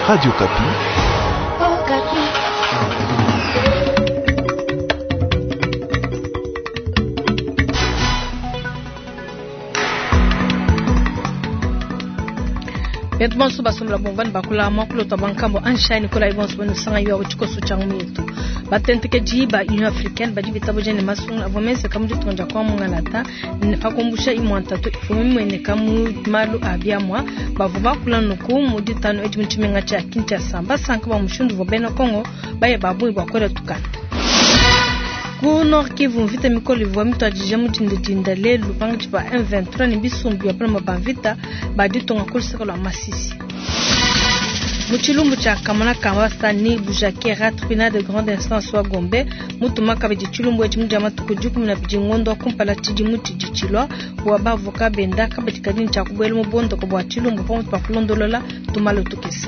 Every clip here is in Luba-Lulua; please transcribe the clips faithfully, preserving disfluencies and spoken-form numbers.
Radio Okapi. Betu bonso basombela bomvani bakula mwakulota bwa nkambo anshani kola ibonso banu sanga yo tshikoso tsha ngwetu batentekedi ba Union africaine badi bitabuja ne masunga avua menzeka mu ditunga dia kwa mungalata ne pa kumbusha imua ntatu ivua mimueneka mu malu a biamua bavua bakula nuku mu ditanu edi mu tshimenga tshia Kinshasa basanka bua mushindu uvua bena Kongo baye ba bungi bua kuela tukanda. Ku Nord Kivu mvita mikole ivua mituadije mu dindadinda lelu pankatshi pa M vingt-trois ne bisumbu bia paloma ba mvita ba ditunga ku luseke lua Masisi. Mu tshilumbu tshia Kamona Kamba Sani Bujakera tribunal de grande instance wa Gombe mutuma kabidi tshilumbu etshi mu dia matuku dikumi na bidi ngondo wa kumpala tshidimu tshidi tshilua bua bavoka benda kabidi kadi tshia kubuela mu bondoko bua tshilumbu pamutu pa kulondolola tumalo tukese.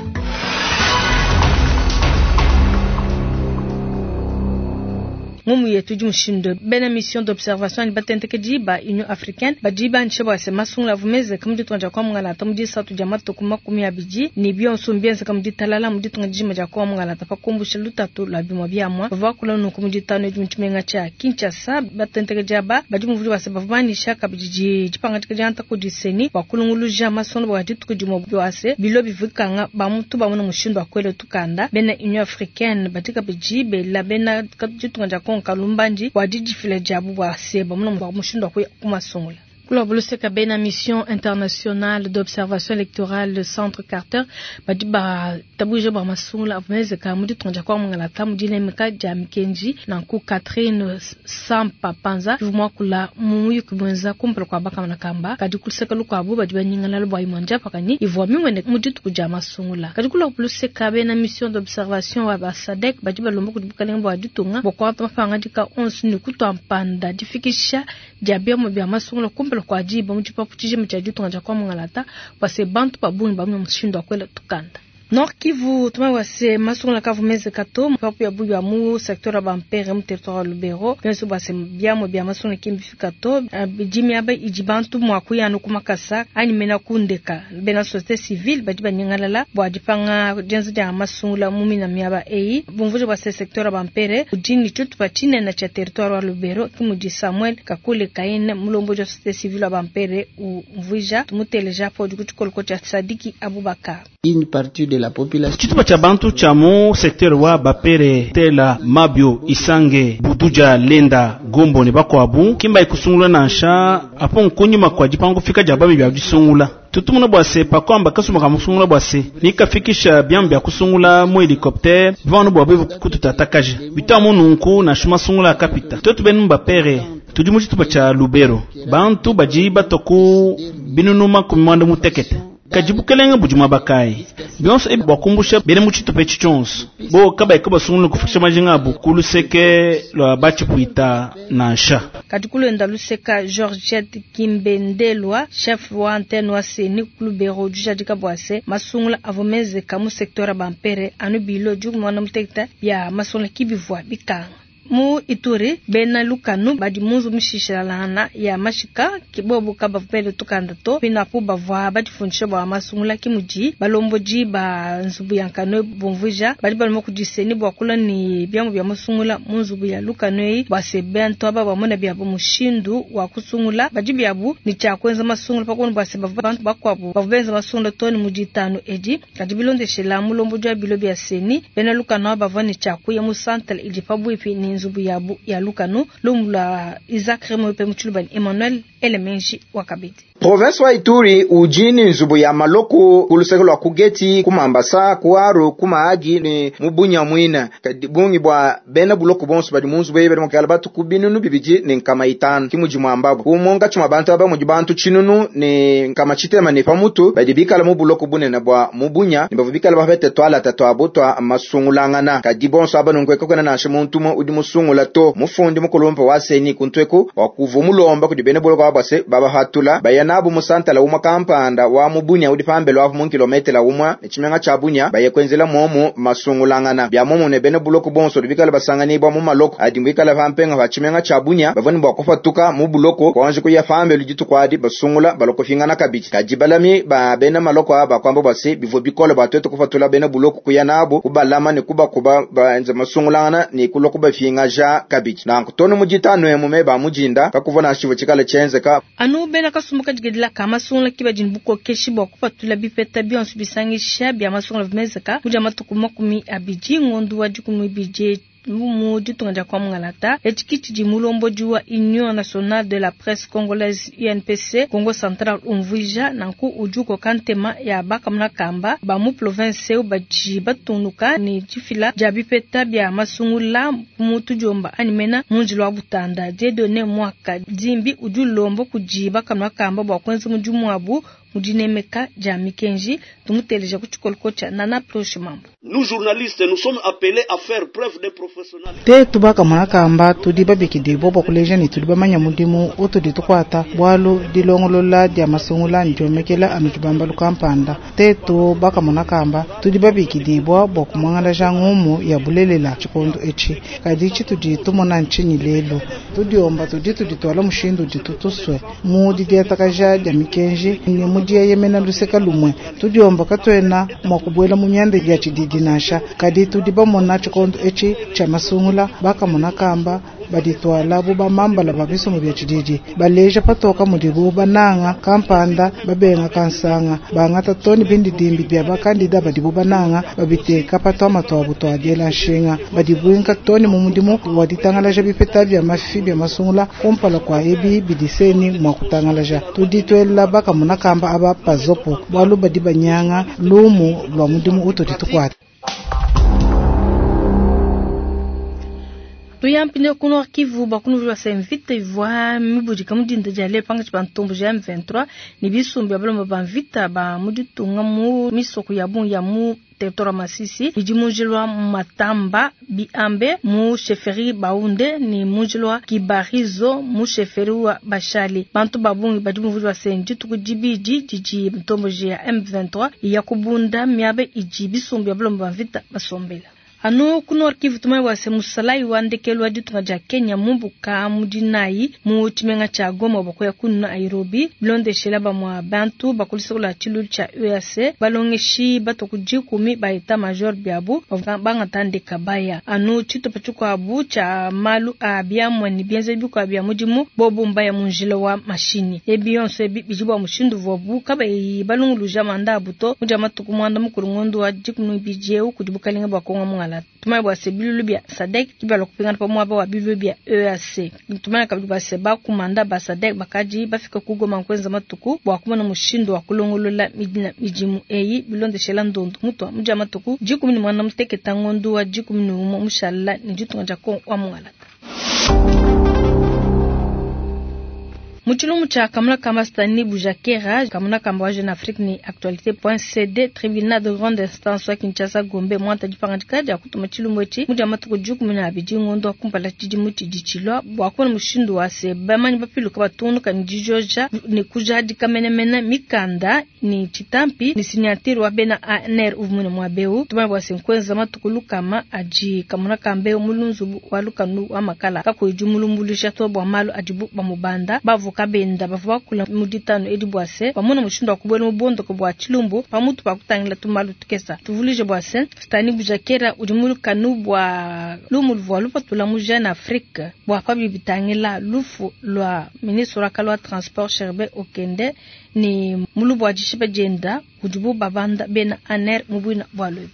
Ngumu yetu di mushindu bena mission d'observation batentekedi ba Union africaine badi banisha bua se masungula avua menzeke mu ditunga dia kwa mungalata mu disatu dia matuku makumi abidi ne bionso mbienzeka mu ditalala mu ditunga dijima dia kwa mungalata pa kumbusha lutatu lua bimua biamua. Bavua bakula nunku mu ditanu edi mu tshimenga tshia Kinshasa batentekedi aba badi muvudi bua se bavua banisha kabidi di-, dipangadika dia ntaku diseni bua kulunguluja masungula bua dituku dimue bua se bilo bivikanga ba mutu bamona mushindu wa kuela tukanda. Bena Union africaine badi kabidi bela bena ditunga dia Kongo Kalumbandi wa didifila diabu bua se bamona bua mushindu wa kuya ku masungula. Kula buluseka bena mission internationale d'observation électorale le centre Carter badi ba tabuja ba masungula avumeze ka mu ditunga dia kwa mungalata mu dinemeka dia mikenji nanku Catherine Sampa Panza uvua kula mu muyuki mwenza kumpala kwa bakamana kamba kadi kuluseka lukuabu badi banyingana lubwa imwanja pakani ivua mimwene mu dituku dia masungula. Kadi kula buluseka bena mission d'observation wa ba SADC badi balomba kudi bukalenge bua ditunga bua kuangata mapangadika onso ne kutua mpanda difikisha dia biamu bia masungula kumpala kwa diba mu tshipapu tshijima tshia ditunga dia kwa mungalata bua se bantu ba bungi ba mu mushindu wa kuela tukanda. Nord Kivu tuma wa se masungula kavu meze kato papu ya buyu mu secteur ba mpere mu territoire wa Lubero benso ba se biamo bia masungula kimbi fikato bidimi aba idi bantu mwa kuyanu kumakasa ani mena kundeka bena société civile badi banyangalala bwa dipanga dienzo dia masungula mu mina miaba ei bumvujo ba se secteur ba mpere udini tutu pa chine na cha territoire wa Lubero kimudi Samuel Kakule Kaine mulombo ja société civile ba mpere umvuja tumuteleja po dikutukoloko cha Sadiki Abubakar. Une partie de la population. Tshitupa tshia bantu tshia mu secteur wa Bapere, Tela, Mabio, Isange, Buduja, Lenda, Gombo ne bakuabu kimba ikusungula nansha apo nkunyima kwa dipango fika dia babi bia disungula. Tutumuna bua se pakwamba kasuma ka musungula bua se nikafikisha biambi bia kusungula mu helicoptère vanu bua bevu kututatakaje bitamu nunku na shuma sungula kapita tutu benu Bapere tudi mu tshitupa tshia Lubero bantu badi batoku binunu makumi mwanda mutekete kadi bukelenge budi muaba kayi bionso ebi bua kumbusha bena mu tshitupa etshi tshionso bo kabayi kabasungula kufikisha majinga abu ku luseke lua batshipuita nansha. Kadi kulenda luseka Georgette Kimbendelwa chef wa antenne wa Seni Lubero dijadika bua se masungula avua menzeka mu secteur ya Bampere anu bilo dikumi muanda mutekete bia masungula kibivua bikanga. Mu Ituri bena lukanu badi munzu mishishalana ya mashika kibobu kabavele tukanda to pinapu bavua badifundisha bua masungula kimudi balomboji ba nzubu ya nkano bumvuja badi balomba kudiseni bua kula ni biamu bia masungula mu nzubu ya lukanu eyi bua se bantu aba bamona biabu mushindu wa kusungula badi biabu ni tshia kuenza masungula pakona bua se bavua bantu bakuabu bavua benza masungula to ni muditanu edi kadi bilondeshela mulomboji wa bilo bia seni bena lukanu aba bavua ni tshia kuya mu centre idi pabuipi ni nzubu yabu ya lukanu lumula Isaac Remo pe mutshilubani Emmanuel Elemenji wakabidi. Province wa Ituri ujini nzubu ya maloko kuluseke lwa kugeti kumambasa kuaru kumaagi ni mubunya mwina kadi bungi bwa bena buloko bonso badi mu nzubu ebe mukala batu kubinunu bibiji ni nkama itanu kimuji mwambabo kumonga chuma bantu aba muji bantu chinunu ni nkama chitema ni pamutu badi bikala mu buloko bunene bwa mubunya ni bavu bikala bapete twala tatu abutwa masungulangana kadi bonso aba nungweka kwena nashe muntu umwe udi musungula to mufundi mukulumpa wa seni kuntweku wakuvumulomba kudi bena buloko abase baba hatula bayana kuya nabu mu santala umwe kampanda wa mu Bunia udi pambelo apu mu kilometela umwe ne tshimenga tshia Bunia baye kwenzela momu masungulangana bia momu ne bena buloko bonso bikala basanganibwa mu maloko adi mbikala pampenga pa tshimenga tshia Bunia bavua ne bua kupatuka mu buloko kwanje kuya pambelo dituku adi basungula baloko fingana kabidi kadi balami ba bena maloko aba kwamba basi bivua bikole batwete kupatula bena buloko kuya nabo kubalama ne kubakuba baenza masungulangana ne kuloko bafingaja kabidi nanku tono mujitano emume ba mujinda kakuvona shivo chikala chenzeka anu bena kasumbuka digedila kama sungula kiba jinbuko keshi bwa kupatula bipeta bionso bisangisha bya masungula vimezeka muja matuku makumi abidi ngondu wa dikumi bije mu ditunga dia kwa Mungalata etikiti di mulombo wa Union Nationale de la Presse Congolaise U N P C Congo Central umvuija nanku ujuko kantema ya bakamuna kamba ba mu province baji batunuka ni difila dia bipeta bya masungula mutu jomba animena munjilo wa Butanda Dieudonné Mwaka Dimbi ujulombo kuji bakamuna kamba bwa kwenza mujumu abu mudinemeka dia mikenji tumuteleja ku tshikoloko tshia Nana Proche Mambo. Nous journalistes, nous sommes appelés à faire preuve de professionnalisme. Te tubaka mwana tudi babikidi bobo kuleja ni tudi bamanya mudimu utudi tukwata bwalu dilongolola dia masungula ndiomekela anutubamba lukampanda. Te tubaka mwana kamba tudi babikidi bo bokumangala ngumu ya bulelela chikondo echi kadi chitudi tumona nchinyi lelo tudi omba tudi tudi twala mushindu ditutuswe mu didiatakaja dia mikenji ni mudiye yemena luseka lumwe tudi omba katwena mwakubwela mu myanda ya chididi nasha kadi tudi bamona chikondo echi cha masungula bakamona kamba baditwala bo bamambala babisomo bya chididi baleja patoka mudibu bananga kampanda babenga kansanga bangata toni bindi dimbi bya bakandida badibu bananga babiteka patwa matwa butwa diela nshinga badibwinka toni mu mudimu waditangalaja bipeta bya mafi bya masungula kumpala kwa ebi bidiseni mwakutangalaja tuditwela bakamona kamba aba pazopo bwalu badi banyanga lumu lwa mudimu utoditukwata. Tuyampine kuno Kivu bakunu vya semvita ivwa mibudika mudinda jale panga chibantombo ja M vingt-trois ni bisumbi abalomba banvita ba muditunga mu misoko ya bu ya mu territoire Masisi idi mujilwa Matamba Biambe mu chefferie Baunde ni mujilwa Kibarizo mu chefferie wa Bashali bantu babungi badi muvulwa senji tukudibidi didi mtombo ja M vingt-trois ya kubunda miabe idi bisumbi abalomba banvita basombela. Anu kuno Kivu tumai wase musalai wa ndekelu wa ditunga ja Kenya mumbuka mudinai mu chimenga cha Goma bakoya kunu Nairobi bilondeshela ba mwa bantu bakulisa kula chilu cha U A C balongeshi batokujikumi ba eta major biabu bangatande kabaya anu chitopa chikwabu cha malu a biamwa ni bienze bikwa bya mudimu bobo mbaya munjila wa mashini ebiyonso bijibwa mushindu vobu kabayi balunguluja manda abuto muja matuku mwanda mukuru ngondo wa jikunu bijeu kudibukalinga bakonga mungala tumai bwa se bilulu bya SADC kibalo kupingana pa mwaba wa bilulu bya E A C tumai kabili bwa se ba kumanda ba SADC bakaji bafika kugoma nkwenza matuku bwa kumana mushindo wa kulongolola midina mijimu eyi bilondeshela ndondo mutwa muja matuku jikumi ni mwana muteketa ngondo wa jikumi ni umo mushala ni jitunga jako wa mungala. Muchilumu cha kamuna kamba Stanley Bujakera, kamuna kamba wa Jeune Afrique ni actualité point C D, tribunal de grande instance wa Kinshasa Gombe, mwanta jipangandika ja kutuma chilumu echi, muja matuku juku mina abidi ngondo wa kumpala chidi muti dichilwa, bwa kuona mushindu wa se, bamanyi bapiluka batunu ka nijijoja, ni kujadi kamenemena mikanda, ni chitampi, ni sinyatiri wa bena A N R uvumune mwabeu, tumai bwa se nkwenza matuku lukama aji kamuna kambe mulunzu wa lukanu wa makala, kako ijumulumbulisha to bwa malu ajibu bamubanda, bavu kabenda bavua kula muditano edi bwase pamona mushindo wa kubwela mubondo ko bwa chilumbu pamutu pa kutangila tumalu tukesa tuvulije bwase Stanley Bujakera udi mulukanu bwa lumu luvua lupatula mu Jeune Afrique bwa pabi bitangila lufu lwa ministre wa kalwa transport Sherbe Okende ni mulubu wa jishiba jenda udibu babanda bena aner mubwina bwa lwebi.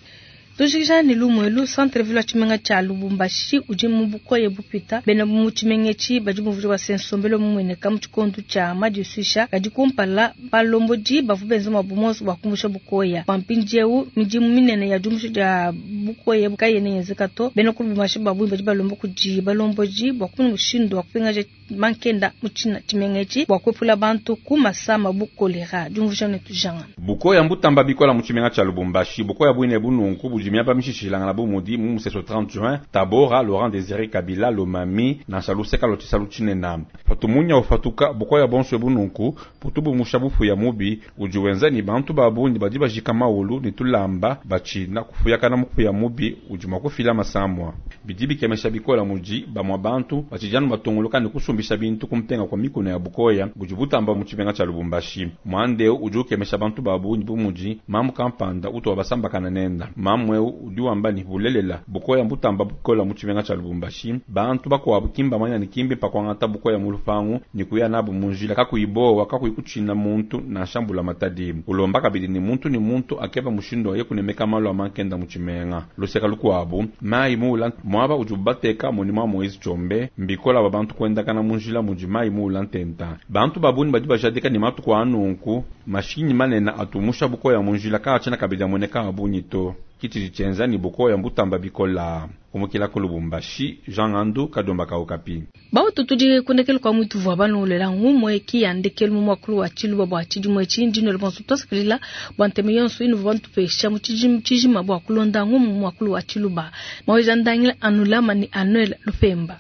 Tujikija ni lumwelu centre ville chimenga cha Lubumbashi udi mubukoye bupita bena mu chimengechi badi muvuji wa sensombelo mumwene kamu chikondu cha madiswisha kadi kumpala balomboji bavu benza mabumoso bakumbusha bukoya pampinjeu midimu minene ya jumusha ja bukoye bukaye neyenzeka to bena ku Lubumbashi babu badi balombo kuji balomboji bakumuna mushindu wa kupingaja mankenda muchina chimengechi bakwepula bantu ku masama bukolera jumvusha ne tujanga bukoya mbutamba bikola mu chimenga cha Lubumbashi bukoya bwine bununku budi budi miaba mishishilangana bu mudi mu museso trente juin, Tabora, Laurent Désiré Kabila, Lomami, nansha luseka lua tshisalu tshinena. Patumunya ufatuka bukoya bonso bununku butubumusha bufuya mubi udi wenza ni bantu babungi badi bajika maulu ni tulamba bachina kufuyakana mufuya mubi udi mwa kufila masamwa. Bidi bikemesha bikola muji bamwa bantu bachijanu batongoloka ni kusumbisha bintu kumpenga kwa mikono ya bukoya budi butamba mu tshimenga tsha Lubumbashi. Mwande udi ukemesha bantu babungi bumuji mamu kampanda utu wabasambakana nenda. Mamu eu udi wamba ni bulelela bukoya mbutamba bukola mu tshimenga tsha Lubumbashi. Bantu bakwabu kimba manya ni kimbi pakwangata bukoya mu lupangu ni kuya nabu munjila kakuibowa kakuikuchina muntu na shambula matadi. Ulomba kabidi ni muntu ni muntu akeba mushindo ye kunemeka malo amankenda mu tshimenga. Luseka lukwabu mai mula mwaba udi bateka monima Moise Tshombe mbikola ba bantu kwenda kana munjila muji mai mula ntenta. Bantu babuni badi bajadika ni matuku anunku mashinyi manena atumusha bukoya munjila kaachana kabidi amoneka abunyi to. Kitiji chenza ni bukoya mbutamba bikola. Kumukila ku Lubumbashi, Jean Ngandu, Kadomba Kaukapi. Bautu tudi kundekelu kwa mwitu vwa banu lela ngumwe ki yandekelu mu mwakulu wa tshiluba bua tshidimu etshi ndino bonso twasakilila bua nteme yonso inu bantu pesha mu tshijima bua kulonda ngumu mu mwakulu wa tshiluba. Maweja ndangila anulama ni Anuel Lupemba.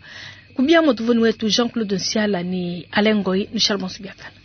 Kubia motuvoni wetu Jean-Claude Nsiala ni Alain Ngoyi, Michel Bonsubiakana.